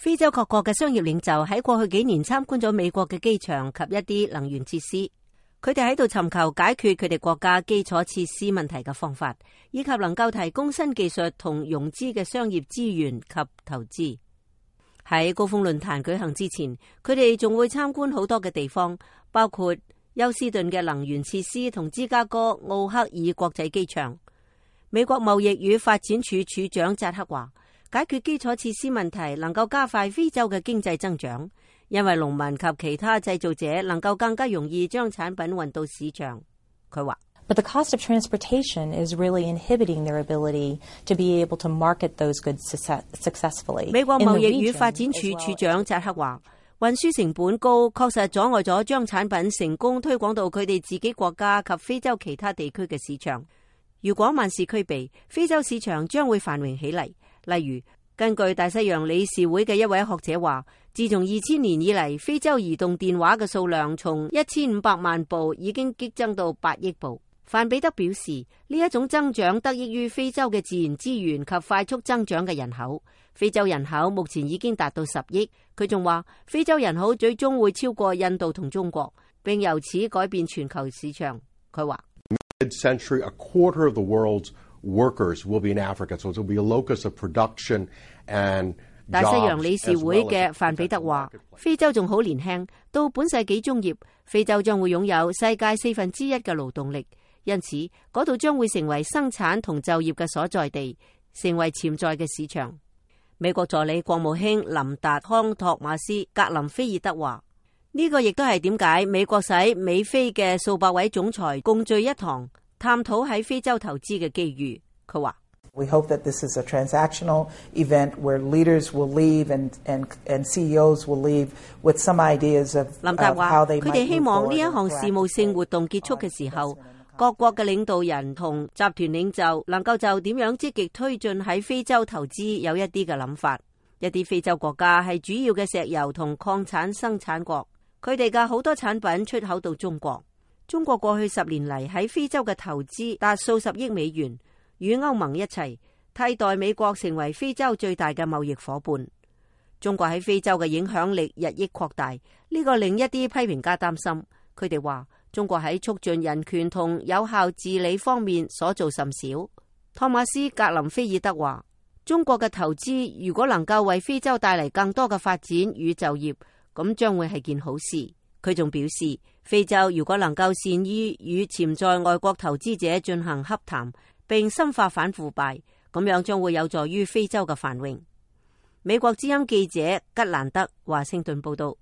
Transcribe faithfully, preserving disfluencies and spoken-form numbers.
非洲各國嘅商業領袖喺過去幾年參觀咗美國嘅機場及一啲能源設施，佢哋喺度尋求解決佢哋國家基礎設施問題嘅方法，以及能夠提供新技術同融資嘅商業資源及投資。喺高峰論壇舉行之前，佢哋仲會參觀好多嘅地方，包括休斯頓嘅能源設施同芝加哥奧克爾國際機場。美國貿易與發展署署長扎克話，解決基礎設施問題能夠加快非洲嘅經濟增長，因為農民及其他製造者能夠更加容易將產品運到市場。佢話，But the cost of transportation is really inhibiting their ability to be able to market those goods successfully. 美國貿易與發展署署長扎克話，運輸成本高，確實阻礙咗將產品成功推廣到佢哋自己國家及非洲其他地區嘅市場。如果萬事俱備，非洲市場將會繁榮起嚟。例如，根據大西洋理事會嘅一位學者話，自從二千年以嚟，非洲移動電話嘅數量從一千五百萬部已經激增到八億部。范比德表示，呢一種增長得益於非洲嘅自然資源及快速增長嘅人口。非洲人口目前已經達到十億。佢仲話，非洲人口最終會超過印度同中國，並由此改變全球市場。佢話，Mid-century, a quarter of the world's workers will be in Africa, so it will be a locus of production and 大西洋理事會嘅范比德話，非洲仲好年輕，到本世紀中葉，非洲將會擁有世界四分之一嘅勞動力，因此嗰度將會成為生產同就業嘅所在地，成為潛在嘅市場。美國助理國務卿林達康托馬斯格林菲爾德話，呢個亦都係點解美國使美非嘅數百位總裁共聚一堂，探討喺非洲投資嘅機遇。佢話，We hope that this is a transactional event where leaders will leave and and and C E Os will leave with some ideas of 林達話， how they 佢哋希望呢一項事務性活動結束嘅時候，各國嘅領導人同集團領袖能夠就點樣積極推進喺非洲投資有一啲嘅諗法。一啲非洲國家係主要嘅石油同礦產生產國，佢哋嘅好多產品出口到中國。中國過去十年嚟喺非洲嘅投資達數十億美元，與歐盟一齊替代美國成為非洲最大嘅貿易夥伴。中國喺非洲嘅影響力日益擴大，呢個令一啲批評家擔心。佢哋話，中國喺促進人權同有效治理方面所做甚少。托馬斯格林菲爾德話，中國嘅投資如果能夠為非洲帶嚟更多嘅發展與就業，咁將會係件好事。佢仲表示，非洲如果能夠善於與潛在外國投資者進行洽談，並深化反腐敗，咁樣將會有助於非洲嘅繁榮。美國之音記者吉蘭德華盛頓報道。